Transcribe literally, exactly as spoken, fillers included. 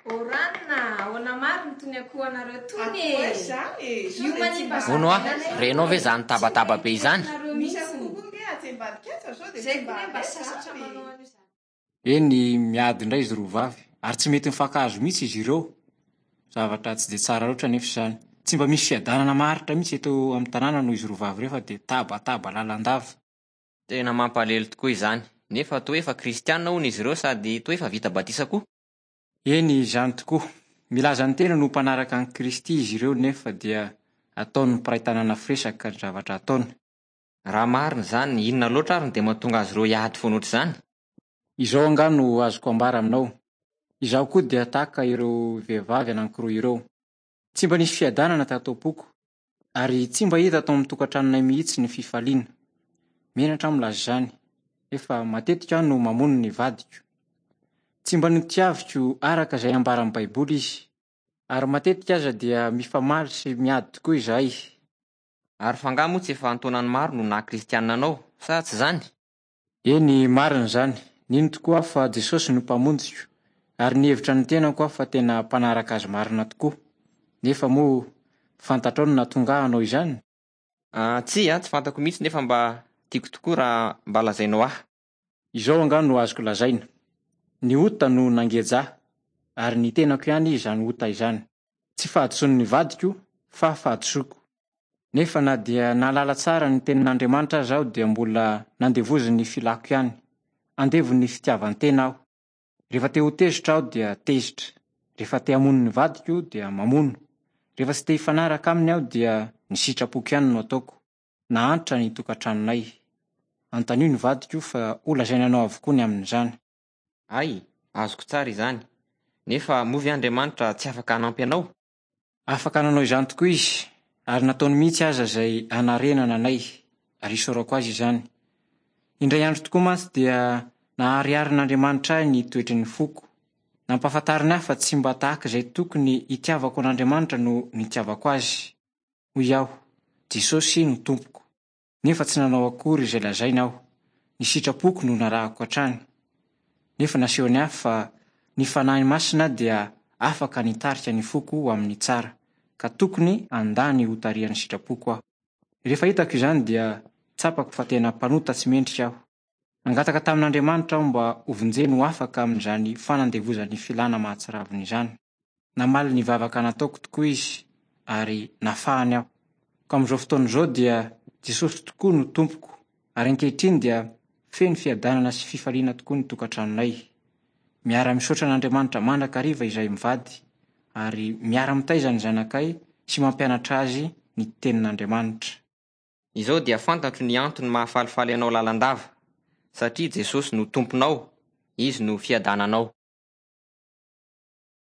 Oranina, ahoana marina tony akohonareo tony e? Akoho izany e! Sao Io dia tsy manimba mba Hono aho, zaridaina renao ve izany tabataba be izany? Nareo Misy mihitsy. akoho koa nge atsy ambadika atsy fa sao dia Zay tsy mba koa ne mba alaiza sasatra aby. manao an'io zany. Eny, miady indray izy roa vavy ary tsy mety mifankahazo mihitsy izy ireo. Zavatra tsy dia tsara loatra nefa izany. Tsy mba misy fiadanana maharitra mihitsy eto amin'ny tanàna noho izy roa vavy ireo fa dia tabataba lalandava. Tena mampalahelo tokoa izany. Nefa toa efa kristianina hono izy ireo sady toa efa vita batisa koa. Eny, izany tokoa. Milaza ny tena no mpanaraka an'i Kristy izy ireo nefa dia ataon'ny mpiray tanàna firesaka ny zavatra ataony. Raha marina izany, inona loatra ary no dia mahatonga azy ireo hiady foana ohatr'izany? Izao angaha no azoko ambara aminao. Izaho koa dia tahaka ireo vehivavy anankiroa ireo. Tsy mba nisy fiadanana tato am-poko ary tsy mba hita tao amin'ny tokantranonay mihitsy ny fifaliana. Menatra aho milaza izany, efa matetika aho no mamono ny vadiko. Tsy mba notiaviko araka izay ambaran'ny Baiboly izy, ary matetika aza dia mifamaly sy miady tokoa izahay. Ary fa angaha moa tsy efa an-taonany maro no naha kristianina anao, sa tsy izany? Eny, marina izany. Nino tokoa aho fa Jesosy no mpamonjiko, ary nihevitra ny tenako aho fa tena mpanaraka azy marina tokoa. Nefa moa fantatrao no nahatonga ahy hanao izany? Ah, tsia, tsy fantako mihitsy nefa mba tiako tokoa raha mba lazainao ahy. Izao angaha no azoko lazaina. Ny ota no nangeja ahy, ary ny tenako ihany izany ota izany. Tsy fahadisoan'ny vadiko fa fahadisoako. Nefa na dia nahalala tsara ny tenin'Andriamanitra aza aho dia mbola nandevozin'ny filako ihany. Andevon'ny fitiavan-tena aho. Rehefa te ho tezitra aho dia tezitra. Rehefa te hamono ny vadiko dia mamono. Rehefa tsy te hifanaraka aminy aho dia ny sitrapoko ihany no ataoko. Nahantra ny tokantranonay. Anontanio ny vadiko fa ho lazaina anao avokoa ny amin'izany. Ay, azoko tsara izany. Nefa moa ve Andriamanitra tsy afaka hanampy anao? Afaka nanao izany tokoa izy, ary nataony mihitsy aza izay hanarenana anay, ary isaorako azy izany. Indray andro tokoa mantsy dia nahariharin'Andriamanitra ahy ny toetry ny foko. Nampahafantariny ahy fa tsy mba tahaka izay tokony hitiavako an'Andriamanitra no nitiavako azy. Hoy aho, Jesosy no tompoko. Nefa tsy nanao akory izay lazaina aho. Ny sitrapoko no narahako hatrany. Nefa nasehony ahy fa ny Fanahy Masina dia afaka nitarika ny foko ho amin'ny tsara, ka tokony handà ny hotarihan'ny sitrapoko aho. Rehefa hitako izany dia tsapako fa tena mpanota tsy mendrika aho. Nangataka tamin'Andriamanitra aho mba hovonjeny ho afaka amin'izany fanandevozan'ny filana mahatsiravina izany. Namaly ny vavaka nataoko tokoa izy ary nafahany aho. Ka amin'izao fotoana izao dia Jesosy tokoa no tompoko, ary ankehitriny dia feno fiadanana sy fifaliana tokoa ny tokantranonay. Miara-misaotra an'Andriamanitra mandrakariva izahay mivady, ary miara-mitaiza ny zanakay sy mampianatra azy ny tenin'Andriamanitra. Izao dia fantatro ny antony mahafalifaly anao lalandava, satria Jesosy no tomponao, izy no fiadananao.